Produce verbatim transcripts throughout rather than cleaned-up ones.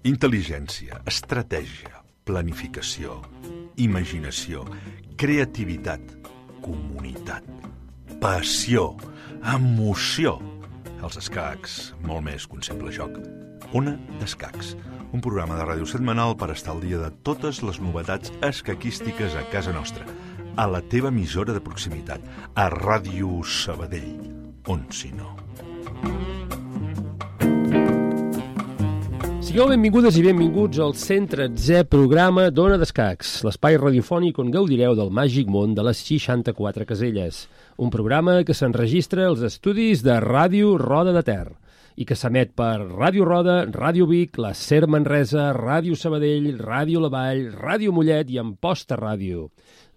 Intel·ligència, estratègia, planificació, imaginació, creativitat, comunitat, passió, emoció. Els escacs, molt més que un simple joc. Ona d'Escacs, un programa de ràdio setmanal per estar al dia de totes les novetats escaquístiques a casa nostra, a la teva emissora de proximitat, a Ràdio Sabadell, on si no. Sigueu benvingudes i benvinguts al cent tretzè programa d'Ona d'Escacs, l'espai radiofònic on gaudireu del màgic món de les seixanta-quatre caselles. Un programa que s'enregistra als estudis de Ràdio Roda de Ter i que s'emet per Ràdio Roda, Ràdio Vic, la SER Manresa, Ràdio Sabadell, Ràdio La Vall, Ràdio Mollet i Amposta Ràdio.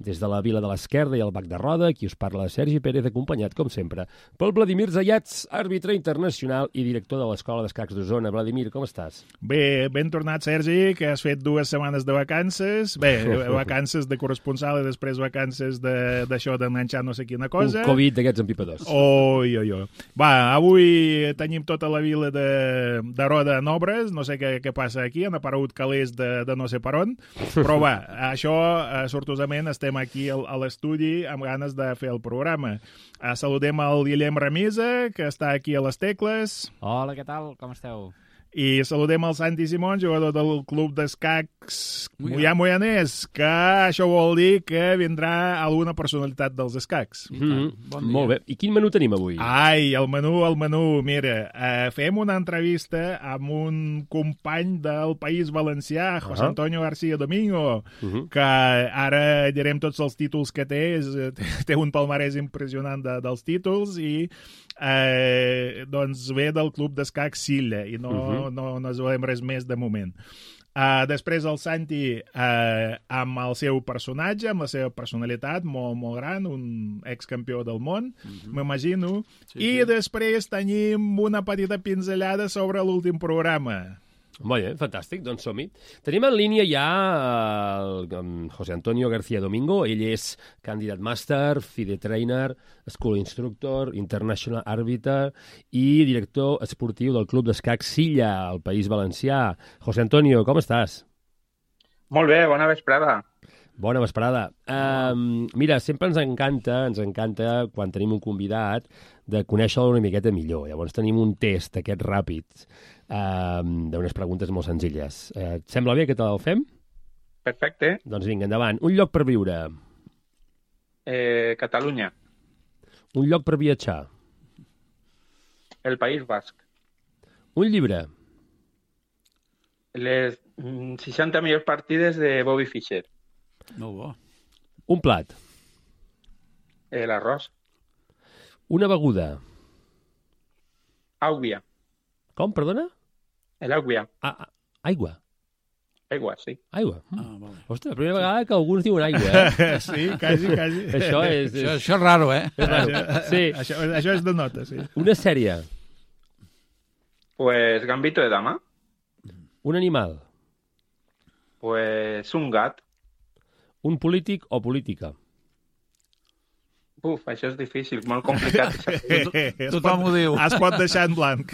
Des de la Vila de l'Esquerda i el Bac de Roda, qui us parla Sergi Pérez, acompanyat, com sempre, pel Vladimir Zayats, àrbitre internacional i director de l'Escola d'Escacs d'Osona. Vladimir, com estàs? Bé, ben tornat, Sergi, que has fet dues setmanes de vacances. Bé, vacances de corresponsal i després vacances d'això d'enganxar no sé quina cosa. Un Covid d'aquests empipadors. Oi, oi, oi. Va, avui tenim tota la vila de, de Roda en obres, no sé què, què passa aquí, han aparegut calés de, de no sé per on, però va, això, eh, sortosament, estem aquí a l'estudi amb ganes de fer el programa. Uh, saludem el Guillem Ramisa, que està aquí a les tecles. Hola, què tal? Com esteu? I saludem el Santi Simón, jugador del club d'escacs Moià Moianès, que això vol dir que vindrà alguna personalitat dels escacs. Mm -hmm. Bon dia. Molt bé. I quin menú tenim avui? Ai, el menú, el menú. Mira, uh, fem una entrevista amb un company del País Valencià, José uh -huh. Antonio García Domingo, uh -huh. que ara direm tots els títols que té. És, té un palmarès impressionant de, dels títols i eh, doncs ve del club d'escacs Silla i no... Uh -huh. No, no es veiem res més de moment. Uh, després el Santi uh, amb el seu personatge, amb la seva personalitat molt, molt gran, un excampió del món, uh-huh. m'imagino. Sí, I sí. després tenim una petita pinzellada sobre l'últim programa. Molt bé, fantàstic, doncs som-hi. Tenim en línia ja el, el José Antonio García Domingo. Ell és candidat màster, F I D E trainer, School Instructor, International Arbiter i director esportiu del Club d'Escacs Silla, al País Valencià. José Antonio, com estàs? Molt bé, bona vesprada. Bona vesprada. Um, mira, sempre ens encanta, ens encanta, quan tenim un convidat, de conèixer-lo una miqueta millor. Llavors tenim un test d'aquests ràpids, um, d'unes preguntes molt senzilles. Uh, et sembla bé que te el fem? Perfecte. Doncs vinga, endavant. Un lloc per viure? Eh, Catalunya. Un lloc per viatjar? El País Basc. Un llibre? Les seixanta millors partides de Bobby Fischer. No bo. Un plat? Eh, L'arròs. Una beguda? Àugua. Com, perdona? L'àugua. Ah, aigua. Aigua, sí. Aigua. Ah, vale. Ostres, la primera vegada que alguns diuen aigua, eh? Sí, quasi, quasi. Això és... Això, això és raro, eh? És raro. Sí. Això, això és de nota, sí. Una sèrie? Pues Gambito de Dama. Un animal? Pues un gat. Un polític o política? Uf, això és difícil, molt complicat. Tothom ho diu. Es pot deixar en blanc.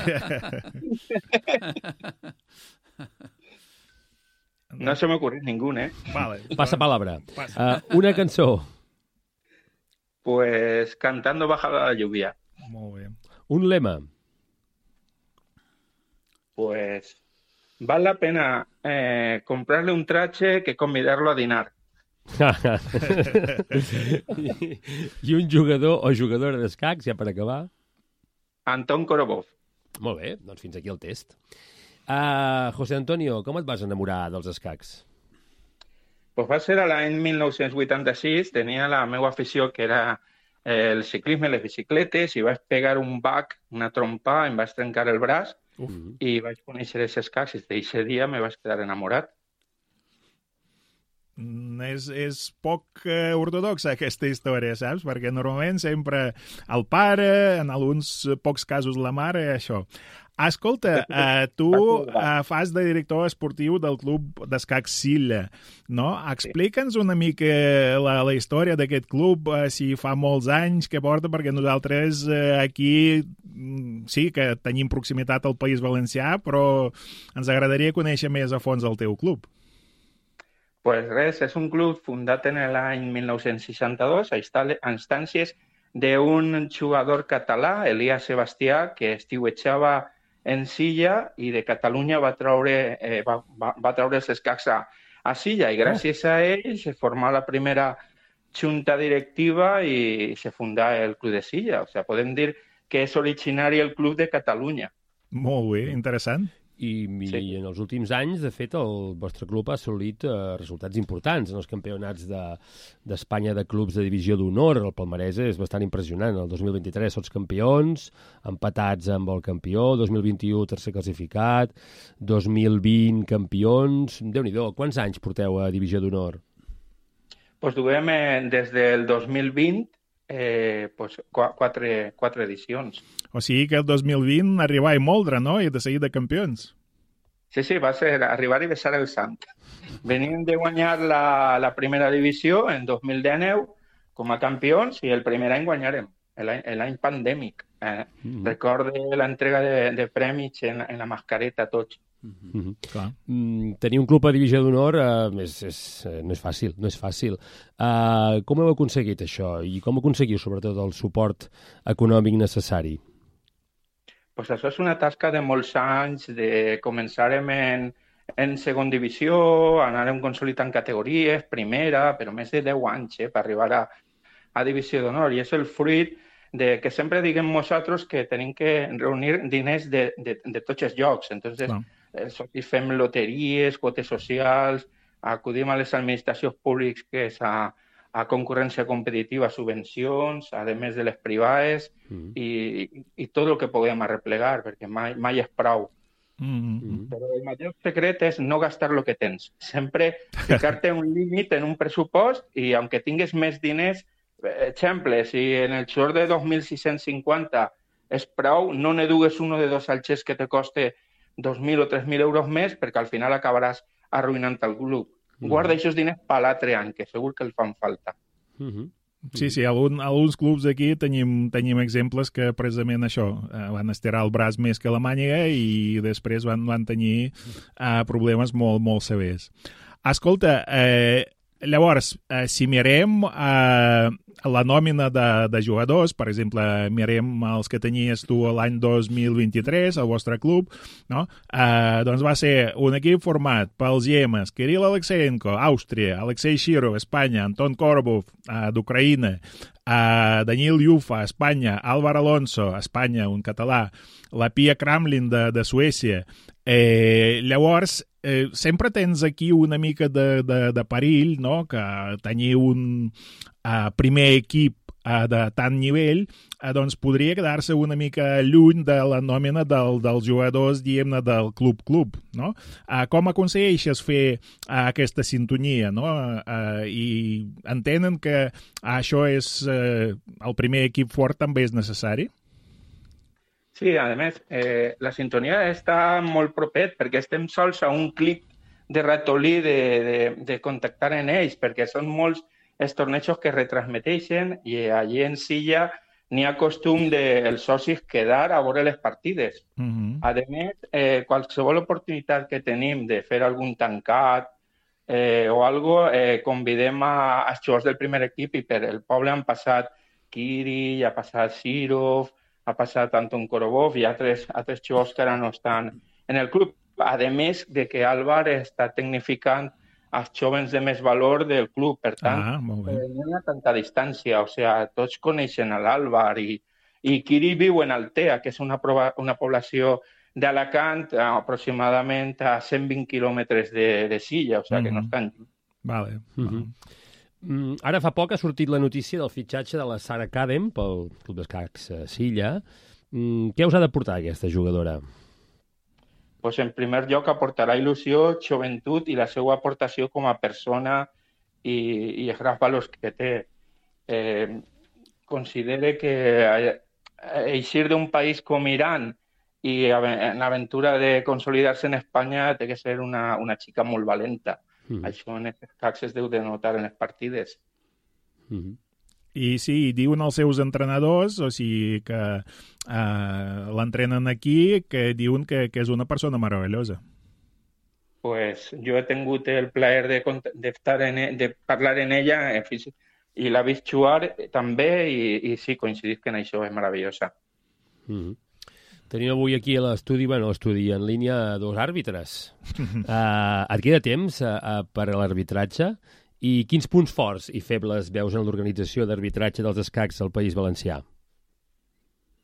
No se m'ocorre ningú, eh? Vale. Passa palabra. Passa. Uh, una cançó? Pues Cantando baja la lluvia. Molt bé. Un lema? Pues vale la pena eh, comprarle un traje que convidarlo a dinar. I un jugador o jugadora d'escacs, ja per acabar? Anton Korobov. Molt bé, doncs fins aquí el test. Uh, José Antonio, com et vas enamorar dels escacs? Pues va ser a l'any mil nou-cents vuitanta-sis, tenia la meva afició, que era el ciclisme, les bicicletes, i vaig pegar un bac, una trompa, em vaig trencar el braç, Uf. i vaig conèixer els escacs, i d'aquest dia me vaig quedar enamorat. Mm, és, és poc eh, ortodoxa aquesta història, saps? Perquè normalment sempre el pare, en alguns pocs casos la mare, això. Escolta, uh, tu uh, fas de director esportiu del club d'escacs Silla, no? Explica'ns una mica la, la història d'aquest club, uh, si fa molts anys que porta, perquè nosaltres uh, aquí sí que tenim proximitat al País Valencià, però ens agradaria conèixer més a fons el teu club. Pues res, és un club fundat en l'any mil nou-cents seixanta-dos a instàncies d'un jugador català, Elias Sebastià, que estiuetjava en Silla i de Catalunya va treure, eh, va, va, va treure els escacs a, a Silla i gràcies a ell se formà la primera junta directiva i se fundà el Club de Silla. O sigui, podem dir que és originari el Club de Catalunya. Molt bé, interessant. I, i sí. En els últims anys, de fet, el vostre club ha assolit eh, resultats importants en els campionats d'Espanya de, de clubs de divisió d'honor. El palmarès és bastant impressionant. El dos mil vint-i-tres sots campions, empatats amb el campió, dos mil vint-i-u tercer classificat, dos mil vint campions... Déu-n'hi-do, quants anys porteu a divisió d'honor? Pues duem eh, des del dos mil vint eh, pues, quatre, quatre edicions. O sigui que el dos mil vint arribar i moldre, no? I de seguir de campions. Sí, sí, va ser arribar i besar el sant. Venim de guanyar la, la primera divisió en dos mil dinou com a campions i el primer any guanyarem, l'any pandèmic. Eh? Mm-hmm. Recorde l'entrega de, de premis en, en la mascareta a tots. Mm-hmm. Clar. Mm, tenir un club a divisió d'honor uh, és, és, no és fàcil, no és fàcil. Uh, com heu aconseguit això i com aconseguiu sobretot el suport econòmic necessari? Pues això és una tasca de molts anys, de començarem en, en segon divisió, anarem consolidant categories, primera, però més de deu anys eh, per arribar a, a divisió d'honor. I és el fruit de que sempre diguem nosaltres que tenim que reunir diners de, de, de tots els llocs. Entonces, no. eh, fem loteries, quotes socials, acudim a les administracions públiques que és a, a concurrència competitiva, subvencions, a més de les privades, mm. i, i tot el que puguem arreplegar, perquè mai, mai és prou. Mm-hmm. Però el major secret és no gastar el que tens. Sempre ficar-te un límit en un pressupost i, aunque tingues més diners, exemple, si en el xor de dos mil sis-cents cinquanta és prou, no ne dugues uno de dos alxers que te coste dos mil o tres mil euros més, perquè al final acabaràs arruïnant el club. Guarda aquests diners per l'altre any, que segur que el fan falta. Uh-huh. Sí, sí, algun, alguns clubs aquí tenim, tenim exemples que precisament això, eh, van estirar el braç més que la màniga i després van, van tenir eh, problemes molt, molt severs. Escolta, eh, llavors, eh, si mirem eh, la nòmina de, de jugadors, per exemple, mirem els que tenies tu l'any dos mil vint-i-tres, al vostre club, no? Eh, doncs va ser un equip format pels Yemes, Kirill Alexeyenko, Àustria, Alexei Shirov, Espanya, Anton Korbov, eh, d'Ucraïna, eh, Daniil Yufa, Espanya, Álvar Alonso, Espanya, un català, la Pia Kramlin de, de Suècia. Eh, llavors, eh, sempre tens aquí una mica de, de, de perill, no?, que tenir un uh, primer equip uh, de tant nivell, uh, doncs podria quedar-se una mica lluny de la nòmina del, dels jugadors, diguem-ne, del club-club, no? Uh, com aconsegueixes fer uh, aquesta sintonia, no? Uh, I entenen que això és uh, el primer equip fort també és necessari? Sí, a més, eh, la sintonia està molt propet perquè estem sols a un clic de ratolí de, de, de contactar en ells, perquè són molts els tornejos que retransmeteixen i allí en Silla n'hi ha costum dels socis quedar a veure les partides. Uh-huh. A més, eh, qualsevol oportunitat que tenim de fer algun tancat eh, o algo, eh, convidem a, als jugadors del primer equip i per el poble han passat Kiri, ha passat Shirov, ha passat Anton Korbov i altres, altres jugadors que ara no estan en el club. A més de que Álvar està tecnificant els jovens de més valor del club. Per tant, ah, no hi ha tanta distància. O sigui, tots coneixen l'Álvar i, i Kiri viu en Altea, que és una, prova, una població d'Alacant aproximadament a cent vint quilòmetres de, de Silla, o sigui, mm-hmm. que no estan lluny. Vale. Mm-hmm. Mm, ara fa poc ha sortit la notícia del fitxatge de la Sara Kadem pel Club d'Escacs Silla. Mm, què us ha d'aportar aquesta jugadora? Pues en primer lloc aportarà il·lusió, joventut i la seva aportació com a persona i, i els grans valors que té. Eh, considere que eixir d'un país com Iran i en l'aventura de consolidar-se en Espanya té que ser una, una xica molt valenta. Mm. Això en els escacs es deu de notar en les partides. Mm. I sí, diuen els seus entrenadors, o sigui que uh, l'entrenen aquí, que diuen que, que és una persona meravellosa. Pues jo he tingut el plaer de, de, estar en, de parlar en ella en físic, i l'ha vist jugar també i, i sí, coincidís que en això és meravellosa. Mm. Tenim avui aquí a l'estudi, bueno, l'estudi en línia, dos àrbitres. uh, et queda temps uh, uh, per a l'arbitratge? I quins punts forts i febles veus en l'organització d'arbitratge dels escacs al País Valencià?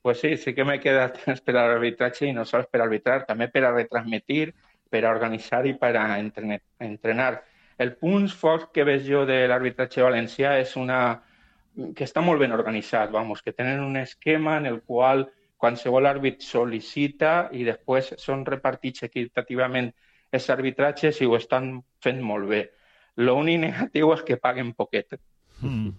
Pues sí, sí que m'he quedat temps per a l'arbitratge i no sols per arbitrar, també per a retransmitir, per a organitzar i per a entrenar. El punt fort que veig jo de l'arbitratge valencià és una que està molt ben organitzat, vamos, que tenen un esquema en el qual qualsevol àrbit sol·licita i després són repartits equitativament els arbitratges i ho estan fent molt bé. L'únic negatiu és que paguen poquet. Mm.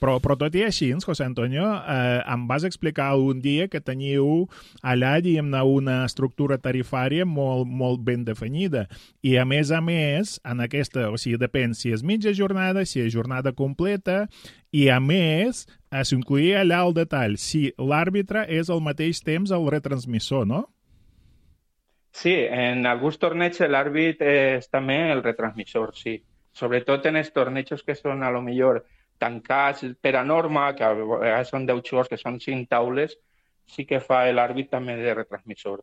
Però, però tot i així, José Antonio, eh, em vas explicar un dia que teniu allà, diguem-ne, una estructura tarifària molt, molt ben definida. I, a més a més, en aquesta, o sigui, depèn si és mitja jornada, si és jornada completa, i, a més, s'incloïa allà el detall, si l'àrbitre és al mateix temps el retransmissor, no? Sí, en alguns torneigs l'àrbit és també el retransmissor, sí. Sobretot en els tornejos que són a lo millor tancats per a norma, que a vegades són deu jugadors, que són cinc taules, sí que fa l'àrbit també de retransmissor.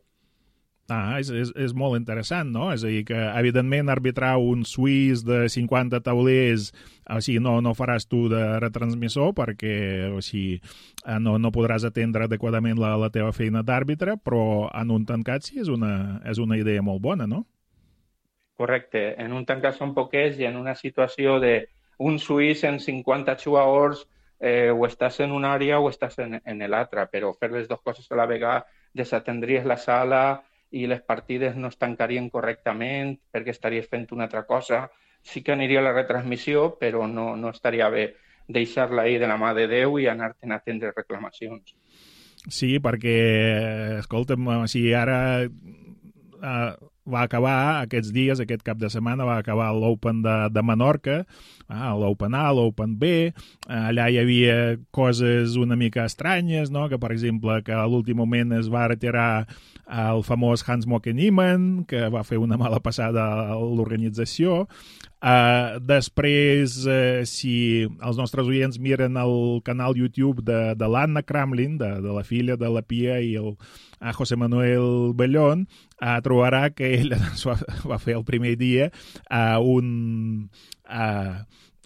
Ah, és, és, és molt interessant, no? És a dir, que evidentment arbitrar un suís de cinquanta taulers, o sigui, no, no faràs tu de retransmissor perquè, o sigui, no, no podràs atendre adequadament la, la teva feina d'àrbitre, però en un tancat sí és una, és una idea molt bona, no? Correcte. En un tancat són poquets i en una situació d'un suís en cinquanta jugadors eh, o estàs en una àrea o estàs en, en l'altra, però fer les dues coses a la vegada desatendries la sala i les partides no es tancarien correctament perquè estaries fent una altra cosa. Sí que aniria a la retransmissió, però no, no estaria bé deixar-la ahir de la mà de Déu i anar-te'n a atendre reclamacions. Sí, perquè, escolta'm, o sigui, ara uh, va acabar aquests dies, aquest cap de setmana, va acabar l'Open de, de Menorca, ah, l'Open A, l'Open B, allà hi havia coses una mica estranyes, no? Que, per exemple, que a l'últim moment es va retirar el famós Hans-Moke Niemann, que va fer una mala passada a l'organització. Uh, després, uh, si els nostres oients miren el canal YouTube de, de l'Anna Kramlin, de, de la filla de la Pia i el a José Manuel Bellón, uh, trobarà que ell va, va fer el primer dia uh, un, uh,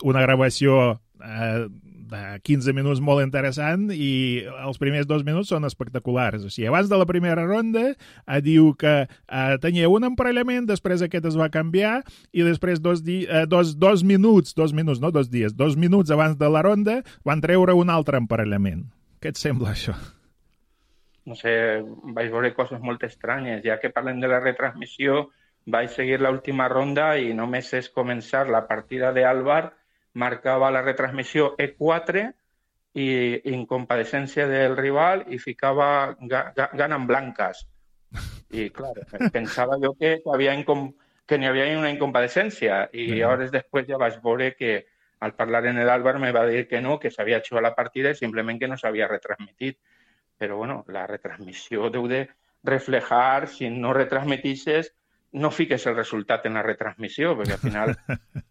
una gravació uh, de quinze minuts molt interessant i els primers dos minuts són espectaculars. O sigui, abans de la primera ronda uh, diu que uh, tenia un emparellament, després aquest es va canviar i després dos, di uh, dos, dos minuts, dos minuts, no dos dies, dos minuts abans de la ronda van treure un altre emparellament. Què et sembla això? No sé, vaig veure coses molt estranyes. Ja que parlem de la retransmissió, vaig seguir l'última ronda i només és començar la partida d'Àlvar, marcava la retransmissió E quatre i incompadecència del rival i ficava gana en blanques. I, clar, pensava jo que, havia que n'hi havia una incompadecència i mm. hores després ja vaig veure que al parlar en l'Àlvar me va dir que no, que s'havia jugat la partida i simplement que no s'havia retransmitit. Però, bueno, la retransmissió deu de reflejar, si no retransmetisses, no fiques el resultat en la retransmissió, perquè al final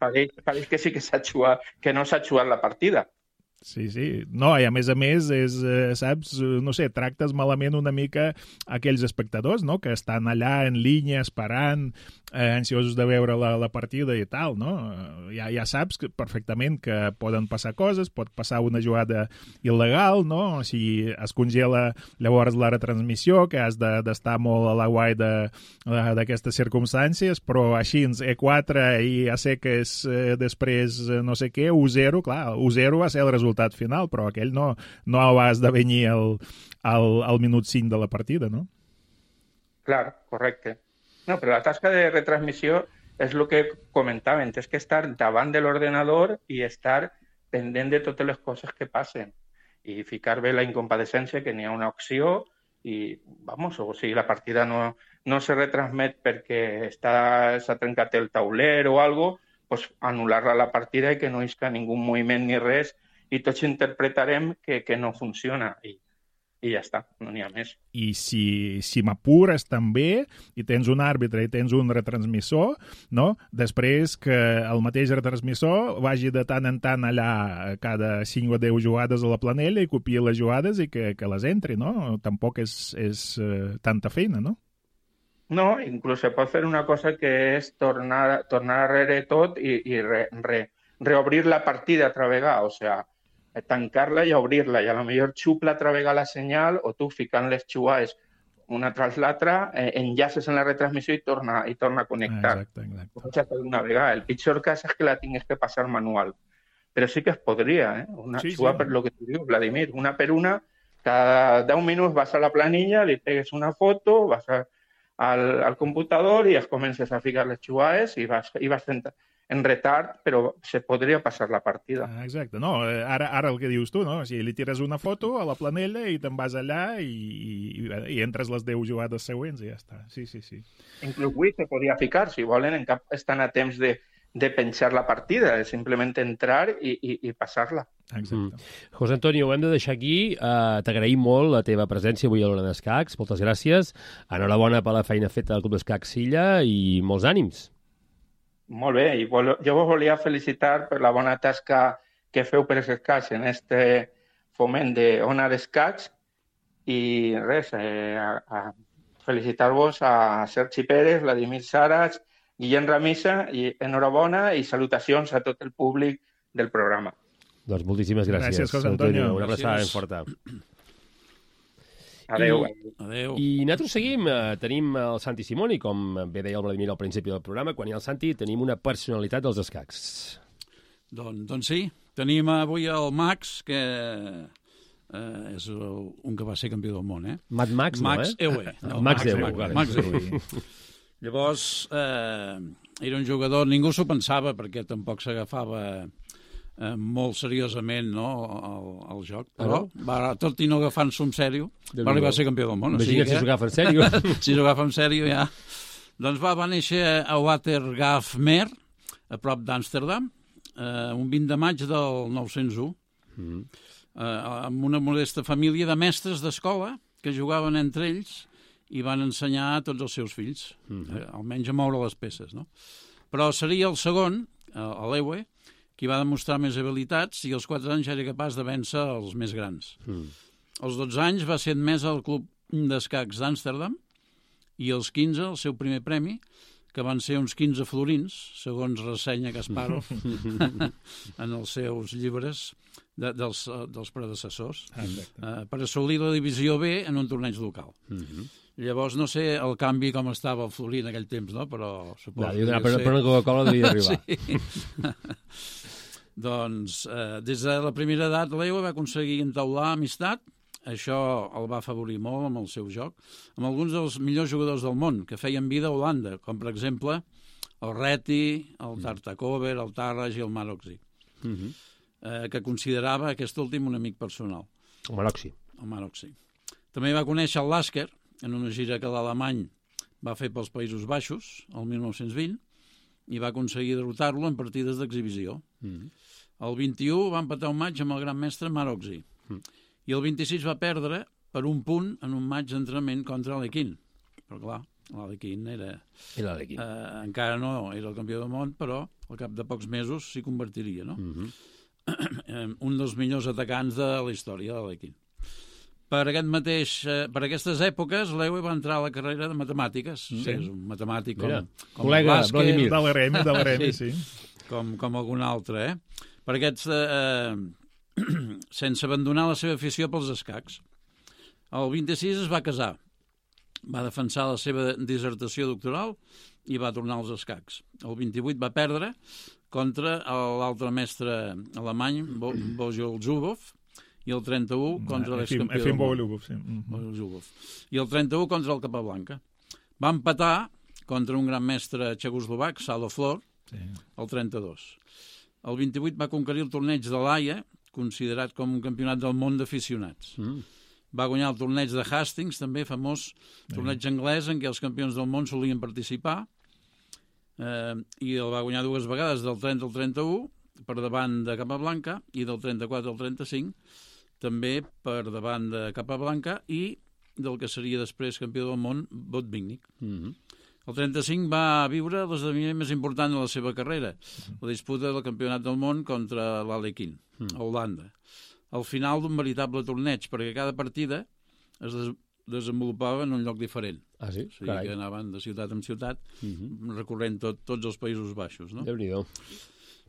pareix, pareix que sí que s'ha jugat, que no s'ha jugat la partida. Sí, sí. No, i a més a més, és, eh, saps, no sé, tractes malament una mica aquells espectadors, no?, que estan allà en línia esperant, eh, ansiosos de veure la, la partida i tal, no? Ja, ja saps que, perfectament que poden passar coses, pot passar una jugada il·legal, no? Si es congela llavors la retransmissió, que has d'estar de, molt a la guai d'aquestes circumstàncies, però així, E quatre i a seques eh, després no sé què, u zero, clar, u zero va ser el resultat final, però aquell no, no va esdevenir el, el, el minut cinc de la partida, no? Clar, correcte. No, però la tasca de retransmissió és el que comentàvem, és que estar davant de l'ordenador i estar pendent de totes les coses que passen i ficar bé la incompadecència, que n'hi ha una opció i, vamos, o sigui, la partida no, no se retransmet perquè està, s'ha trencat el tauler o algo, pues anul·lar-la la partida i que no isca ningú moviment ni res i tots interpretarem que, que no funciona i, i ja està, no n'hi ha més. I si, si m'apures també i tens un àrbitre i tens un retransmissor, no? Després que el mateix retransmissor vagi de tant en tant allà cada cinc o deu jugades a la planella i copiï les jugades i que, que les entri, no? Tampoc és, és uh, tanta feina, no? No, inclús se pot fer una cosa que és tornar, tornar darrere tot i, i re, re, reobrir la partida altra vegada, o sigui, tancar-la i obrir-la, i a lo millor xupla altra vegada la senyal o tu ficant les xugades una tras l'altra, eh, enllaces en la retransmissió i torna, i torna a connectar. Exacte, exacte. Ho faig una vegada. El pitjor cas és que la tingues que passar manual. Però sí que es podria, eh? Una sí, xuga sí. per lo que tu dius, Vladimir, una per una, cada deu minuts vas a la planilla, li pegues una foto, vas a, al, al computador i es comences a ficar les xugades i vas, i vas fent en retard, però se podria passar la partida. Ah, exacte. No, ara, ara el que dius tu, no? O sigui, li tires una foto a la planella i te'n vas allà i, i, i entres les deu jugades següents i ja està. Sí, sí, sí. Inclús avui se podria ficar, si volen, en cap estan a temps de, de penjar la partida, és simplement entrar i, i, i passar-la. Exacte. Mm. José Antonio, ho hem de deixar aquí. Uh, T'agraïm molt la teva presència avui a l'Hora d'Escacs. Moltes gràcies. Enhorabona per la feina feta del Club d'Escacs Silla i molts ànims. Molt bé, i vol, jo vos volia felicitar per la bona tasca que feu per els escacs en este foment d'Ona d'Escacs i res, eh, a, a felicitar-vos a Sergi Pérez, Vladimir Saras, Guillem Ramisa, i enhorabona i salutacions a tot el públic del programa. Doncs moltíssimes gràcies. Gràcies, José Antonio. Una abraçada ben forta. Adéu. I, Adéu. I nosaltres seguim, eh, tenim el Santi Simoni, com bé deia el Vladimir al principi del programa, quan hi ha el Santi tenim una personalitat dels escacs. Doncs, doncs sí, tenim avui el Max, que eh, és un que va ser campió del món, eh? Mad Max, Max no, eh? Ewe. No, Max Max Ewe, Max, vale. Max Ewe. Llavors, eh, era un jugador, ningú s'ho pensava, perquè tampoc s'agafava eh, molt seriosament, no, el, el joc, però ah, no? va, tot i no agafant-s'ho en sèrio, va arribar a ser campió del món. Imagina't si s'ho agafa en sèrio. Si s'ho agafa en sèrio, ja. Doncs va, va néixer a Watergraafsmeer, a prop d'Amsterdam, eh, un vint de maig del nou-cents u, mm. eh, amb una modesta família de mestres d'escola que jugaven entre ells i van ensenyar a tots els seus fills, mm. eh, almenys a moure les peces, no? Però seria el segon, a l'Ewe, qui va demostrar més habilitats i als quatre anys era capaç de vèncer els més grans. Mm. Als dotze anys va ser admès al Club d'Escacs d'Amsterdam i als quinze el seu primer premi, que van ser uns quinze florins, segons ressenya Kasparov en els seus llibres de, dels, dels predecessors, uh, per assolir la divisió B en un torneig local. Mm-hmm. Llavors, no sé el canvi com estava el florí en aquell temps, no? Però suposo no, que... Per, ser... per una Coca-Cola devia arribar. Sí. Doncs, eh, des de la primera edat, l'Ewe va aconseguir entaular amistat. Això el va afavorir molt amb el seu joc, amb alguns dels millors jugadors del món que feien vida a Holanda, com per exemple el Reti, el Tartakover, el Tarraj i el Maroczy, uh-huh. eh, que considerava aquest últim un amic personal. El Maroczy. El Maroczy. També va conèixer el Lasker en una gira que l'alemany va fer pels Països Baixos el mil nou-cents vint i va aconseguir derrotar-lo en partides d'exhibició. Uh-huh. El vint-i-u va empatar un maig amb el gran mestre Maroczy. Uh-huh. I el vint-i-sis va perdre per un punt en un maig d'entrenament contra l'Alequín. Però clar, l'Alequín era... Era l'Alequín. Eh, encara no era el campió del món, però al cap de pocs mesos s'hi convertiria, no? Uh-huh. Un dels millors atacants de la història de l'Alequín. Per, aquest mateix, eh, per aquestes èpoques, l'Ewe va entrar a la carrera de matemàtiques. Sí. Sí, és un matemàtic com, com col·lega, el Vladimir. De l'Eremi, de l'Eremi, sí. sí. Com, com algun altre, eh? Per aquests... Eh, sense abandonar la seva afició pels escacs. El vint-i-sis es va casar, va defensar la seva dissertació doctoral i va tornar als escacs. El vint-i-vuit va perdre contra l'altre mestre alemany, Bo Bojol Zubov, i el trenta-u contra l'excampió del món. Sí. Mm-hmm. I el trenta-u contra el Capablanca. Va empatar contra un gran mestre txecoslovac, Salo Flor, sí. el trenta-dos. El vint-i-vuit va conquerir el torneig de l'Haia, considerat com un campionat del món d'aficionats. Mm. Va guanyar el torneig de Hastings, també famós torneig anglès, en què els campions del món solien participar, eh, i el va guanyar dues vegades, del trenta al trenta-u, per davant de Capablanca, i del trenta-quatre al trenta-cinc, també per davant de Capablanca, i del que seria després campió del món, Botvinnik. Mm-hmm. El trenta-cinc va viure l'esdeveniment més important de la seva carrera, la disputa del campionat del món contra l'Alekhine, a Holanda. Al final d'un veritable torneig, perquè cada partida es des desenvolupava en un lloc diferent. Ah, sí? O sigui Carai. Que anaven de ciutat en ciutat, uh-huh. recorrent tot, tots els Països Baixos. No? Déu-n'hi-do.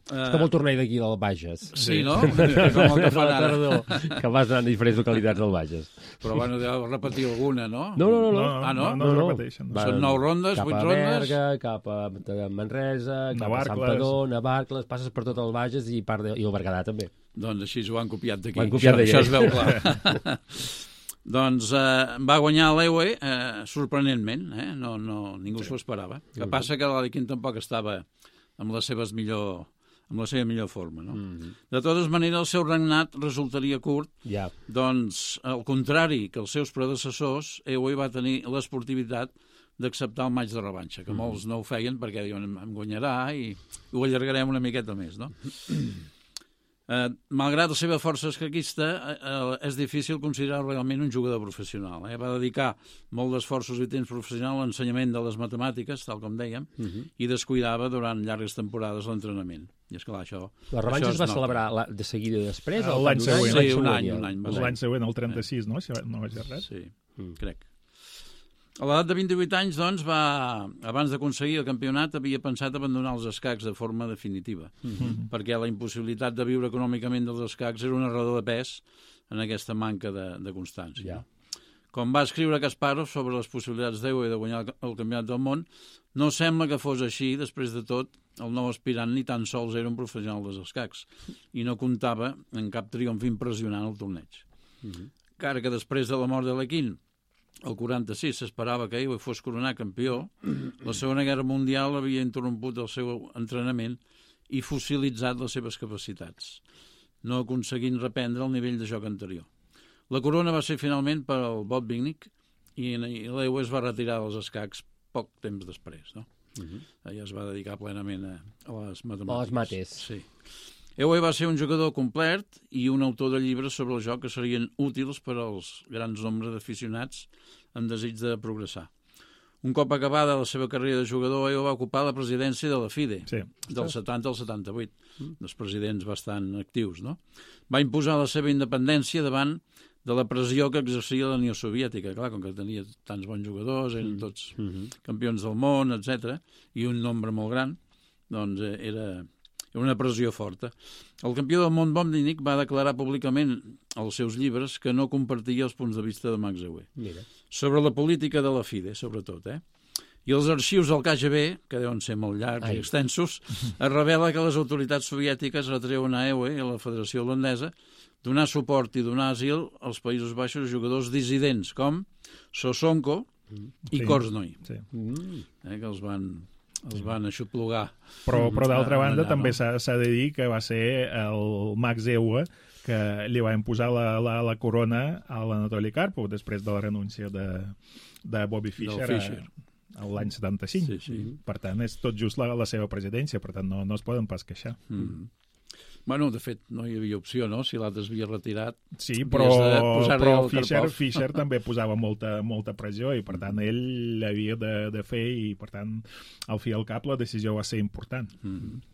Uh, és com el torneig d'aquí del Bages. Sí, no? Com el que fan ara. Que vas anar a diferents localitats del Bages. Però bueno, deu repetir alguna, no? No, no, no. no. Ah, no? No, no, no, no repeteixen. No. Són nou rondes, vuit rondes? Cap a Berga, cap a Manresa, cap Navarcles. a Santpedor, Navarcles, passes per tot el Bages i, part de, i el Berguedà també. Doncs així ho han copiat d'aquí. Ho han copiat això, això es veu clar. Doncs eh, va guanyar l'Ewe eh, sorprenentment, eh? no, no, ningú s'ho esperava. El que passa que l'Alekhine tampoc estava amb les seves millor... amb la seva millor forma, no? Mm-hmm. De totes maneres, el seu regnat resultaria curt, yeah. doncs, al contrari que els seus predecessors, Ewe va tenir l'esportivitat d'acceptar el matx de revanxa, que mm-hmm. molts no ho feien perquè diuen, em guanyarà i ho allargarem una miqueta més, no? Eh, malgrat la seva força escaquista, eh, és difícil considerar realment un jugador professional. Eh? Va dedicar molt d'esforços i temps professional a l'ensenyament de les matemàtiques, tal com dèiem, uh-huh. i descuidava durant llargues temporades l'entrenament. I esclar, això... La revanxa es va celebrar la, de seguida després? Uh, L'any següent. Sí, un any. Un any L'any següent, el trenta-sis, no? Si no vaig errat. Sí, mm. crec. A l'edat de vint-i-vuit anys, doncs, va, abans d'aconseguir el campionat, havia pensat abandonar els escacs de forma definitiva, mm-hmm. perquè la impossibilitat de viure econòmicament dels escacs era una raó de pes en aquesta manca de, de constància. Yeah. Com va escriure Kasparov sobre les possibilitats d'Ewe de guanyar el, el campionat del món, no sembla que fos així, després de tot, el nou aspirant ni tan sols era un professional dels escacs i no comptava en cap triomf impressionant al torneig. Mm-hmm. Encara que després de la mort de l'Alekhine, el quaranta-sis s'esperava que Ewe fos coronat campió, la Segona Guerra Mundial havia interromput el seu entrenament i fossilitzat les seves capacitats, no aconseguint reprendre el nivell de joc anterior. La corona va ser finalment per al Botvinnik i l'Ewe es va retirar dels escacs poc temps després. No? Uh-huh. Ella es va dedicar plenament a, a les matemàtiques. A les mates. Sí. Ewe va ser un jugador complet i un autor de llibres sobre el joc que serien útils per als grans nombres d'aficionats amb desig de progressar. Un cop acabada la seva carrera de jugador, Ewe va ocupar la presidència de la FIDE, sí. del setanta al setanta-vuit, mm. dels presidents bastant actius. No? Va imposar la seva independència davant de la pressió que exercia la Unió Soviètica. Clar, com que tenia tants bons jugadors, eren tots mm-hmm. campions del món, etcètera, i un nombre molt gran, doncs era... una pressió forta. El campió del món Botvinnik va declarar públicament als seus llibres que no compartia els punts de vista de Max Ewe. Mira. Sobre la política de la FIDE, sobretot. Eh? I els arxius del K G B, que deuen ser molt llargs Ai. i extensos, es revela que les autoritats soviètiques retreuen a Ewe i a la Federació Holandesa donar suport i donar asil als Països Baixos jugadors dissidents com Sosonko mm. i sí. Korznoi, sí. eh, que els van... els van aixoplugar. Però, però d'altra banda, allà, també no? s'ha de dir que va ser el Max Ewe que li va imposar la, la, la corona a l'Anatoli Karpov després de la renúncia de, de Bobby Fischer, Fischer. a, a l'any setanta-cinc. Sí, sí. Per tant, és tot just la, la seva presidència, per tant, no, no es poden pas queixar. Mm. Bueno, de fet, no hi havia opció, no? Si l'altre s'havia retirat... Sí, però, però Fischer, Fischer també posava molta, molta pressió i, per tant, ell l'havia de, de fer i, per tant, al fi i al cap la decisió va ser important. Mm-hmm.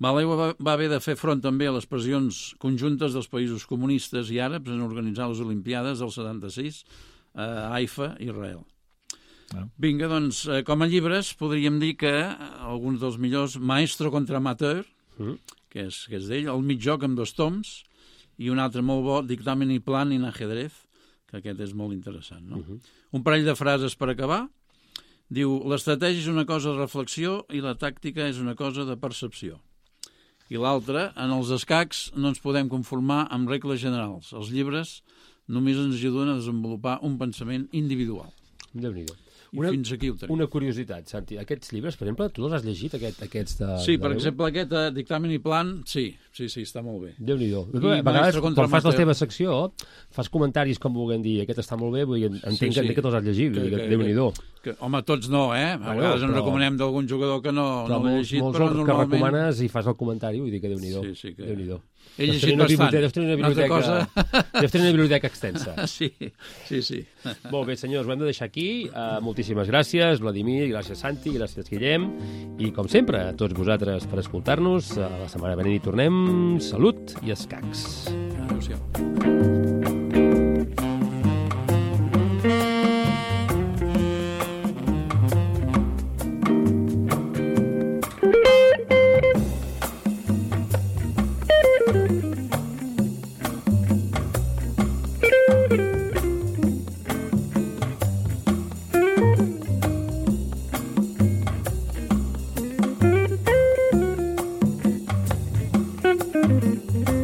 Ewe va, va haver de fer front també a les pressions conjuntes dels països comunistes i àrabs en organitzar les Olimpiades del setanta-sis a Haifa, Israel. Ah. Vinga, doncs, com a llibres podríem dir que alguns dels millors, Maestro contra Amateur, mm. que és, que és d'ell, El mig joc amb dos toms, i un altre molt bo, Dictamen i plan en ajedrez, que aquest és molt interessant. No? Uh-huh. Un parell de frases per acabar. Diu, l'estratègia és una cosa de reflexió i la tàctica és una cosa de percepció. I l'altre, en els escacs no ens podem conformar amb regles generals. Els llibres només ens ajuden a desenvolupar un pensament individual. Déu-n'hi-do. I una, fins aquí ho tenim. Una curiositat, Santi. Aquests llibres, per exemple, tu els has llegit, aquest, aquests de... Sí, per de exemple, aquest uh, dictamen i plan, sí, sí, sí, està molt bé. Déu-n'hi-do. A vegades, quan fas la teva secció, fas comentaris com vulguem dir, aquest està molt bé, vull dir, entenc sí, sí. que te'ls has llegit, que, que, Déu-n'hi-do. Que, home, tots no, eh? A bueno, vegades però, en recomanem d'algun jugador que no, no l'ha llegit, molts però normalment... que recomanes i fas el comentari, vull dir que Déu-n'hi-do. Sí, sí, que... Déu-n'hi-do. He llegit bastant. Deus tenir una biblioteca, cosa... deus tenir una biblioteca extensa. Sí, sí, sí. Molt bé, senyors, ho hem de deixar aquí. Uh, moltíssimes gràcies, Vladimir, gràcies, Santi, gràcies, Guillem. I, com sempre, a tots vosaltres per escoltar-nos. Uh, la setmana venent hi tornem. Salut i escacs. Adéu-siau. Thank you.